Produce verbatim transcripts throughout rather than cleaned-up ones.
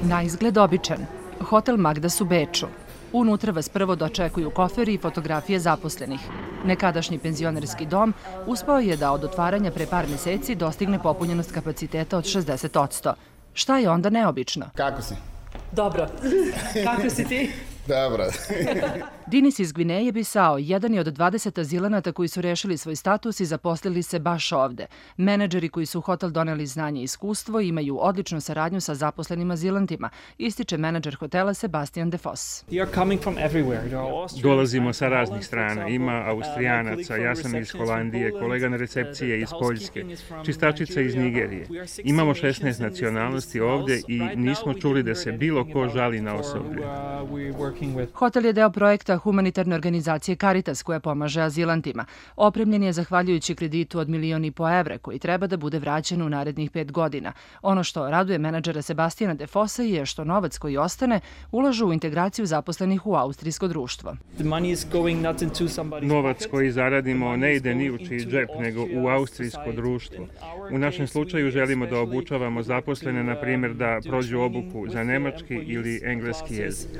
Na izgled običan. Hotel Magdas u Beču. Unutra vas prvo dočekuju koferi i fotografije zaposlenih. Nekadašnji penzionerski dom uspeo je da od otvaranja pre par meseci dostigne popunjenost kapaciteta od šezdeset posto. Šta je onda neobično? Kako si? Dobro. Kako si ti? Dobro. Dinis iz Gvineje Bisao jedan je od dvadeset azilanata koji su rešili svoj status i zaposlili se baš ovde. Menadžeri koji su u hotel doneli znanje i iskustvo imaju odličnu saradnju sa zaposlenim azilantima, ističe menadžer hotela Sebastian De Vos. Dolazimo sa raznih strana. Ima Austrijanaca, ja sam iz Holandije, kolega na recepciji je iz Poljske, čistačica iz Nigerije. Imamo šesnaest nacionalnosti ovde i nismo čuli da se bilo ko žali na osoblje. Hotel je deo projekta humanitarne organizacije Caritas koja pomaže azilantima. Opremljen je zahvaljujući kreditu od milion i po evra koji treba da bude vraćen u narednih pet godina. Ono što raduje menadžera Sebastijana De Vosa je što novac koji ostane ulažu u integraciju zaposlenih u austrijsko društvo. Novac koji zaradimo ne ide ni u čiji džep, nego u austrijsko društvo. U našem slučaju želimo da obučavamo zaposlene, na primjer da prođu obuku za nemački ili engleski jezik.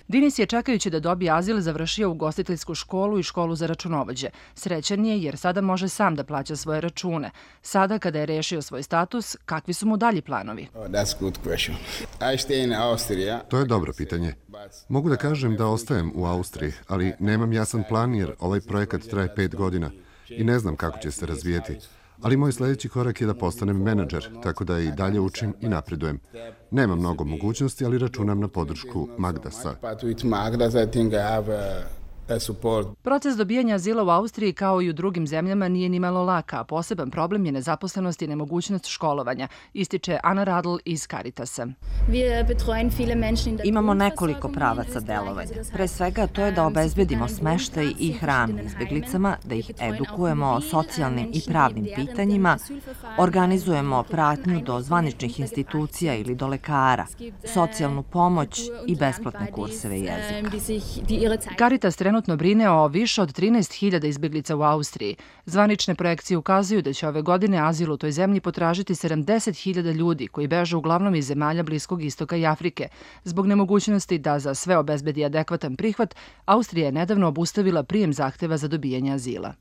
Dinis je čekajući da dobije azil završio ugostiteljsku školu i školu za računovođe. Srećan je jer sada može sam da plaća svoje račune. Sada kada je rešio svoj status, kakvi su mu dalji planovi? To je dobro pitanje. Mogu da kažem da ostajem u Austriji, ali nemam jasan plan jer ovaj projekat traje pet godina i ne znam kako će se razvijeti. Ali moj sljedeći korak je da postanem menadžer, tako da i dalje učim i napredujem. Nema mnogo mogućnosti, ali računam na podršku Magdasa. Proces dobijanja azila u Austriji kao i u drugim zemljama nije ni malo laka, a poseban problem je nezaposlenost i nemogućnost školovanja, ističe Ana Radl iz Caritasa. Imamo nekoliko pravaca delovanja. Pre svega to je da obezbedimo smeštaj i hranu izbeglicama, da ih edukujemo o socijalnim i pravnim pitanjima, organizujemo pratnju do zvaničnih institucija ili projekara, socijalnu pomoć i besplatne kurseve jezika. Caritas trenutno brine o više od trinaest hiljada izbeglica u Austriji. Zvanične projekcije ukazuju da će ove godine azil u toj zemlji potražiti sedamdeset hiljada ljudi koji beže uglavnom iz zemalja Bliskog istoka i Afrike. Zbog nemogućnosti da za sve obezbedi adekvatan prihvat, Austrija je nedavno obustavila prijem zahteva za dobijanje azila.